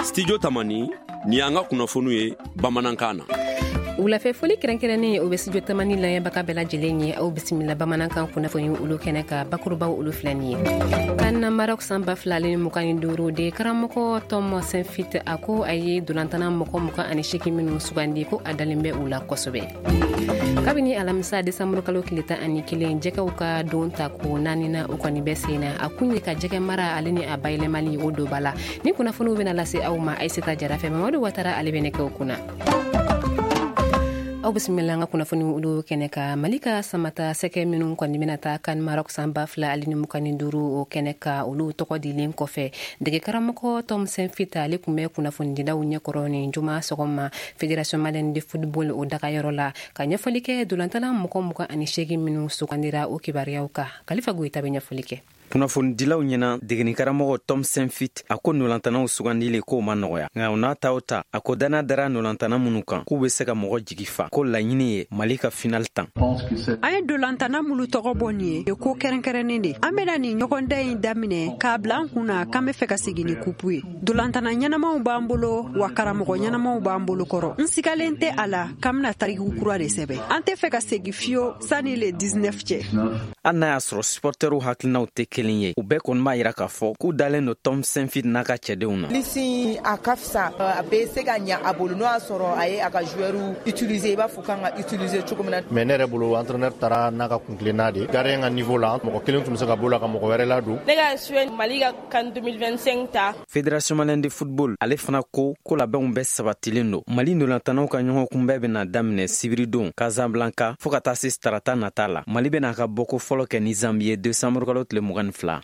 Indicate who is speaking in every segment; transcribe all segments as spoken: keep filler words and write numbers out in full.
Speaker 1: Studio Tamani ni y'an ka kunnafoniw ye bamanankan na.
Speaker 2: Wulafɛ foli kɛrɛnkɛrɛnnen, o bɛ Studio Tamani lamɛnbaga bɛɛ lajɛlen ye. Aw bisimila bamanankan kunnafoni olu kɛnɛ ka. Bakurubaw olu filɛ nin ye: CAN Maroc san ba fila ni mugan ni duuru de, karamɔgɔ Tom Saintfiet, a ko a ye dolantana mɔgɔ mugan ani seegin minnu sugandi, ko a dalen bɛ u la kosɛbɛ. Kabini alamisa desanburu kalo tile tan ani kelen, jɛgɛw ka don ta ko naanina, o kɔni bɛ sen na. A kun ye ka jɛgɛ mara ale ni a bayɛlɛmali, o donba la. Ni kunnafoniw bɛna lase aw ma Ayiseta Jara fɛ. Mamadu Watara, ale bɛ nɛgɛw kunna. Aw bisimila an ka kunnafoni olu kɛnɛ ka. Mali ka samata sɛgɛ minnu kɔni bɛna taa CAN Maroc san ba fila ale ni mugan ni duuru, o kɛnɛ ka, olu tɔgɔ dilen kɔfɛ, dege karamɔgɔ Tom Saintfiet, ale tun bɛ kunnafonidilaw ɲɛkɔrɔ nin juma sɔgɔma Fédération malienne de football o dagayɔrɔ la, ka ɲɛfɔli kɛ dolantala mɔgɔ mugan ani seegin minnu sugandira, o kibaruyaw kan. Kalifa Goyita bɛ ɲɛfɔli kɛ.
Speaker 3: Kunnafonidilaw ɲɛna, degenikaramɔgɔ Tom Saintfiet, a ko nolantanaw sugandili k'o ma nɔgɔya, nka o n'a ta o ta, a ko dana dara nolantana minnu kan, k'u be se ka mɔgɔ jigi fa, ko laɲini ye Mali ka final tan.
Speaker 4: An ye dolantana minnu tɔgɔ bɔ nin ye, ko kɛrɛnkɛrɛnnen de. An bena nin ɲɔgɔndan in daminɛ k'a bila an kun na k'an be fɛ ka segin ni kupu ye. Dolantana ɲɛnamaw b'an bolo wa, karamɔgɔ ɲɛnamaw b'an bolo kɔrɔ. N sigalen tɛ a la k'an bena tariku kura de sɛbɛ. An tɛ fɛ ka segi fiyewu sanni le dix-neuf cɛ.
Speaker 3: Hali n'a y'a sɔrɔ supportɛriw hakilinaw tɛ kelen ye, u bɛɛ kɔni b'a yira k'a fɔ k'u dalen don Tom Saintfiet n'a ka cɛdenw na.
Speaker 5: Lisi a ka fisa, a bɛ se ka ɲa a bolo n'o y'a sɔrɔ a ye a ka joueur utiliser i b'a fɔ kan ka utiliser cogo min na.
Speaker 6: Mais ne yɛrɛ bolo, entraîneur taara n'a ka kuntilenna de. Gardien ka niveau la, mɔgɔ kelen tun bɛ se ka bɔ la ka mɔgɔ wɛrɛ ladon.
Speaker 7: Ne ka souhait, Mali ka CAN deux mille vingt-cinq ta.
Speaker 3: Fédération malienne de football, ale fana ko ko labɛnw bɛɛ sabatilen don. Mali nolantanaw ka ɲɔgɔn kunbɛn bɛna daminɛ sibiridon Casablanca fɔɔ ka taa se tarata nata la. Mali bɛna ka bɔko fɔlɔ kɛ ni Zambi ye desanburu kalo tile mugan ni fila.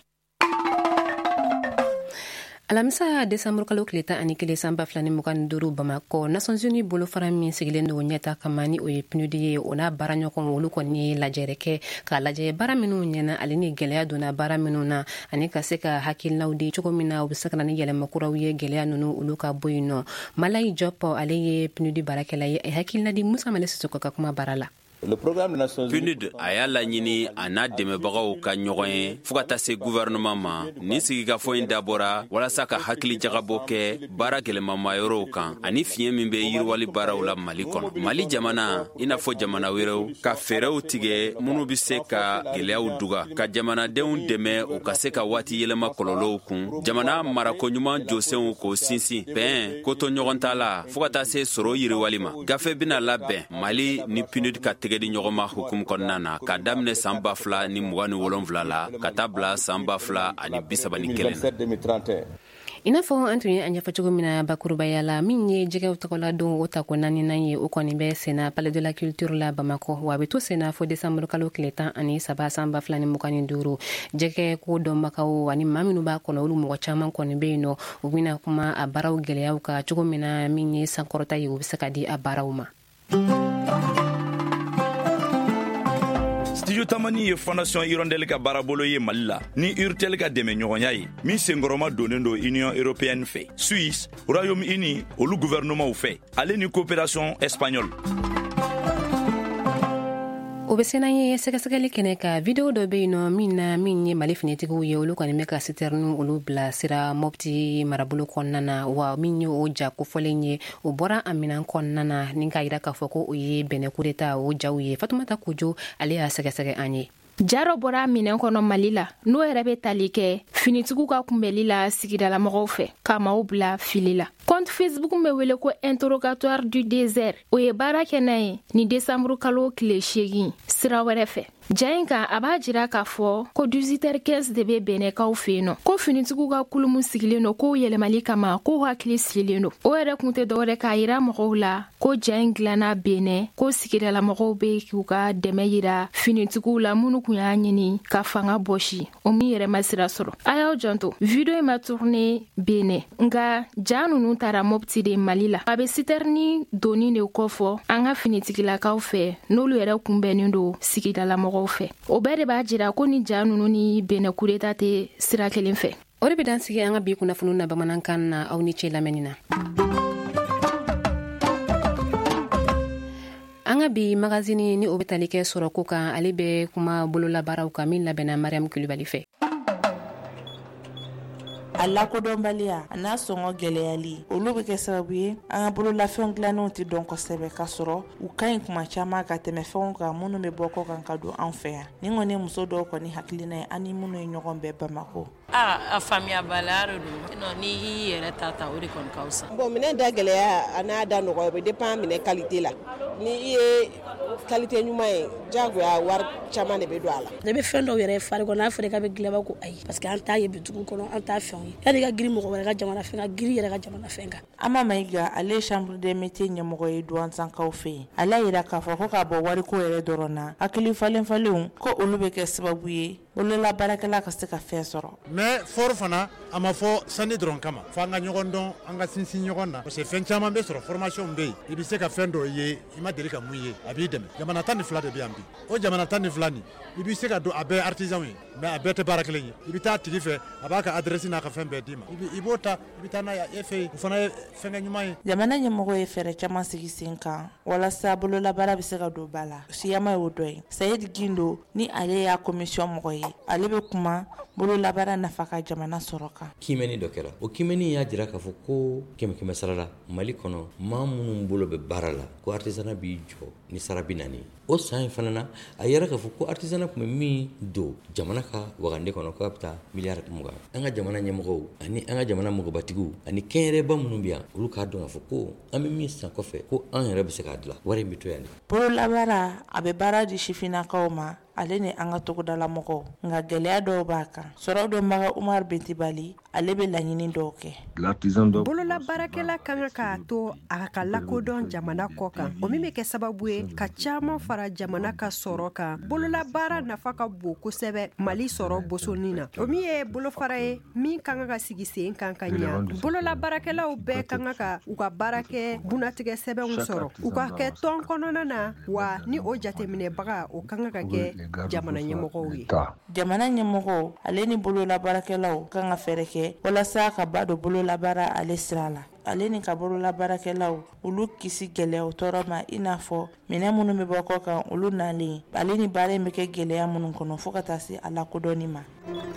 Speaker 2: Alamisa desanburu kalo tile tan ani kelen san ba fila ni mugan ni duuru, Bamakɔ, Nations Unies bolofara min sigilen don ɲɛta kama, ni o ye PNUD ye, o n'a baaraɲɔgɔn, olu kɔni ye lajɛrɛ kɛ k'a lajɛ baara minnu ɲɛna ale ni gwɛlɛya donna baara minnu na, ani ka se ka hakilinaw di cogo min na u be se ka na ni yɛlɛma kuraw ye, gwɛlɛya nunu olu ka bɔ yen nɔ. Malayi Jɔp, ale ye PNUD baarakɛla ye, a hakilina di Musa Male Sisoko ka kuma baara la.
Speaker 8: PNUD a y'a laɲini a n'a dɛmɛbagaw ka ɲɔgɔn ye fɔɔ ka taa se guvɛrɛnɛman ma. Nin sigikafɔ in dabɔra walasa ka hakili jagabɔ kɛ baara gwɛlɛmamayɔrɔw kan ani fiɲɛ min bɛ yiriwali baaraw la Mali kɔnɔ. Mali jamana, i n'a fɔ jamana wɛrɛw, ka fɛɛrɛw tigɛ minnu be se ka gwɛlɛyaw duga, ka jamanadenw dɛmɛ u ka se ka waati yɛlɛma kɔlɔlɔw kun, jamana marako ɲuman jɔsenw k'o sinsin, bɛn koto ɲɔgɔn ta la, fɔɔ ka taa se sɔrɔ yiriwali ma. Gafe bena labɛn Mali ni PNUD ka tɛgɛ di ɲɔgɔn ma hukumu kɔnɔna na, ka daminɛ san ba fila ni mugan ni wolonfila la ka taa bila san ba fila ani bisaba ni kelen.
Speaker 2: I n'a fɔ an tun ye a ɲɛfɔ cogo min na bakurubaya la, min ye jɛgɛw tɔgɔla don o tako naaninan ye, o kɔni bɛ senna Palais de la Culture la Bamakɔ, wa a bɛ to senna fo desanburu kalo tile tan ani saba san ba fila ni mugan ni duuru. Jɛgɛ ko dɔnbagaw ani maa minnu b'a kɔnɔ, olu mɔgɔ caman kɔni bɛ yen nɔ. U bɛna kuma a baaraw gɛlɛyaw kan cogo min na, min ye sankɔrɔta ye, u bɛ se ka di a baaraw ma.
Speaker 9: Studio Tamani ye Fondation Hirondelle ka baarabolo ye Mali la ni Urtel ka dɛmɛ ɲɔgɔnya ye, min senkɔrɔma donnen don Union européenne fɛ, Suisse, Royaume Uni olu gouvernementw fɛ, ale ni coopération espagnole.
Speaker 2: O bɛ sena ye sɛgɛsɛgɛli kɛnɛ ka. Video dɔ bɛ yen nɔ min na, min ye Mali finitigiw ye, olu kɔni bɛ ka sitɛrinu olu bilasira Mɔpti marabolo kɔnɔna na. Wa min ye o ja kofɔlen ye, o bɔra a minɛn kɔnɔna na ni k'a yira k'a fɔ ko o ye Bɛnɛ kudeta o jaw ye. Fatumata Kojo, ale y'a sɛgɛsɛgɛ an ye.
Speaker 10: Ja dɔ bɔra minɛn kɔnɔ Mali la, n'o yɛrɛ bɛ tali kɛ finitigiw ka kunbɛli la sigidalamɔgɔw fɛ ka maaw bila fili la. Compte Facebook bɛ wele ko Interrogatoire du désert, o ye baara kɛ n'a ye ni desanburu kalo tile seegin sira wɛrɛ fɛ. Ja in kan, a b'a jira k'a fɔ ko dix-huit heures quinze de bɛ Bɛnɛkaw fɛ yen nɔ, ko finitigiw ka kulu min sigilen don k'o yɛlɛmali kama, k'o hakili sigilen don. O yɛrɛ kun tɛ dɔwɛrɛ k'a yira mɔgɔw la ko ja in dilanna Bɛnɛ, ko sigidalamɔgɔw bɛ k'u ka dɛmɛ yira finitigiw la minnu kun y'a ɲini ka fanga bɔsi, o min yɛrɛ ma sira sɔrɔ. A y'aw janto, video in ma tourné Bɛnɛ, nka ja ninnu taara Mɔpti de Mali la. A bɛ sitɛrini donni de kɔfɔ an ka finitigilakaw fɛ, n'olu yɛrɛ kunbɛnnen don sigidalamɔgɔw fɛ. O bɛɛ de b'a jira ko ni ja ninnu ni Bɛnɛ kudeta tɛ sira kelen fɛ.
Speaker 2: O de bɛ dan sigi an ka bi kunnafoniw na bamanankan na. Aw ni ce lamɛnni na. An ka bi magazini, ni o bɛ tali kɛ sɔrɔko kan, ale bɛ kuma bololabaaraw kan, min labɛnna Mariam Kulibali fɛ.
Speaker 11: A lakodɔnbaliya a n'a sɔngɔ gɛlɛyali, olu bɛ kɛ sababu ye an ka bololafɛnw dilannenw tɛ dɔn kosɛbɛ, k'a sɔrɔ u ka ɲi kuma caman ka tɛmɛ fɛnw kan minnu bɛ bɔ kɔ kan ka don an fɛ yan. Nin kɔni muso dɔw kɔni hakilina ye ani minnu ye ɲɔgɔn bɛɛ Bamakɔ.
Speaker 12: Aa, a faamuyabaliya de don, n'i y'i yɛrɛ ta ta o de kɔni ka fisa.
Speaker 5: Bon, minɛn da gɛlɛya a n'a da nɔgɔya, o bɛ dépend minɛn qualité la. Ni i ye qualité ɲuman ye, diyagoya wari caman de bɛ don a la.
Speaker 13: Ne bɛ fɛn dɔw yɛrɛ fari kɔnɔ, n'a fɔra k'a bɛ dilan ko ayi, parce que an t'a ye bitigiw kɔnɔ, an t'a fɛnw ye. Yanni i ka girin mɔgɔ wɛrɛ ka jamana fɛn kan, girin yɛrɛ ka jamana fɛn kan.
Speaker 11: Ama Mayiga, ale ye chambre des métiers ɲɛmɔgɔ ye Douentza-kaw fɛ yen. Ale y'a jira k'a fɔ ko k'a bɔ wariko yɛrɛ dɔrɔn na, hakili falen falenw ko olu bɛ kɛ sababu ye bolola baarakɛla ka se ka fɛn sɔrɔ.
Speaker 6: Mais fort fana, a ma fɔ sani dɔrɔn kama, fo an ka ɲɔgɔn dɔn, an ka sinsin ɲɔgɔn na, parce que fɛn caman bɛ sɔrɔ, formation bɛ yen, i bɛ se ka fɛn dɔ ye i ma deli ka mun ye, a b'i dɛmɛ. Jamana tan ni fila de bɛ yan bi, o jamana tan ni fila nin, i bɛ se ka don a bɛɛ artisan ye, mais a bɛɛ tɛ baara kelen ye. I bɛ taa tigi fɛ, a b'a ka adresse n'a ka fɛn bɛɛ d'i ma, i b'o ta, i bɛ taa n'a ye e fɛ yen, o fana ye fɛnkɛ ɲuman ye.
Speaker 11: Jamana ɲɛmɔgɔ ye fɛɛrɛ caman sigi sen kan walasa bololabaara bɛ se ka don ba la. Siyama y'o dɔ ye. Sayidi Gindo, ni ale y'a commission mɔgɔ ye, ale bɛ kuma bololabaara nafa ka jamana sɔrɔ kan.
Speaker 14: Kimɛni dɔ kɛra, o kimɛni y'a jira k'a fɔ ko kɛmɛ kɛmɛ sara la Mali kɔnɔ, maa minnu bolo bɛ baara la, ko artisanat b'i jɔ ni sara bi naani. O san in fana na, a yɛrɛ k'a fɔ ko artisanat tun bɛ min don jamana ka wagande kɔnɔ, k'a bɛ taa miliyari mugan. An ka jamana ɲɛmɔgɔw ani an ka jamana mɔgɔbatigiw ani kɛnyɛrɛba minnu bɛ yan, olu k'a dɔn k'a fɔ ko an bɛ min san kɔfɛ, ko an yɛrɛ bɛ se k'a dilan, wari in bɛ to yan de.
Speaker 11: Bololabaara a bɛ baara di sifinnakaw ma, ale ni an ka togodala mɔgɔw, nka gɛlɛya dɔw b'a kan. Sɔrɔ dɔnbaga Umar Bentibali, ale bɛ laɲini dɔw kɛ.
Speaker 4: Bololabaarakɛla ka kan k'a to a ka lakodɔn jamana kɔ kan, o min bɛ kɛ sababu ye ka caman fara jamana ka sɔrɔ kan. Bololabaara nafa ka bon kosɛbɛ Mali sɔrɔ bosoni na, o min ye bolofara ye min ka kan ka sigi sen kan ka ɲa. Bololabaarakɛlaw bɛɛ ka kan ka u ka baara kɛ bunatigɛ sɛbɛnw sɔrɔ, u ka kɛ tɔn kɔnɔna na, wa ni o jateminɛbaga o ka kan ka kɛ jamana ɲɛmɔgɔw ye.
Speaker 11: Jamana ɲɛmɔgɔw ale ni bololabaarakɛlaw kan ka fɛɛrɛ kɛ walasa ka ba don bololabaara ale sira la, ale ni ka bololabaarakɛlaw olu kisi gɛlɛyaw tɔɔrɔ ma, i n'a fɔ minɛn minnu bɛ bɔ kɔ kan olu nalen, ale ni baara in bɛ kɛ gɛlɛya minnu kɔnɔ fo ka taa se a lakodɔnni ma.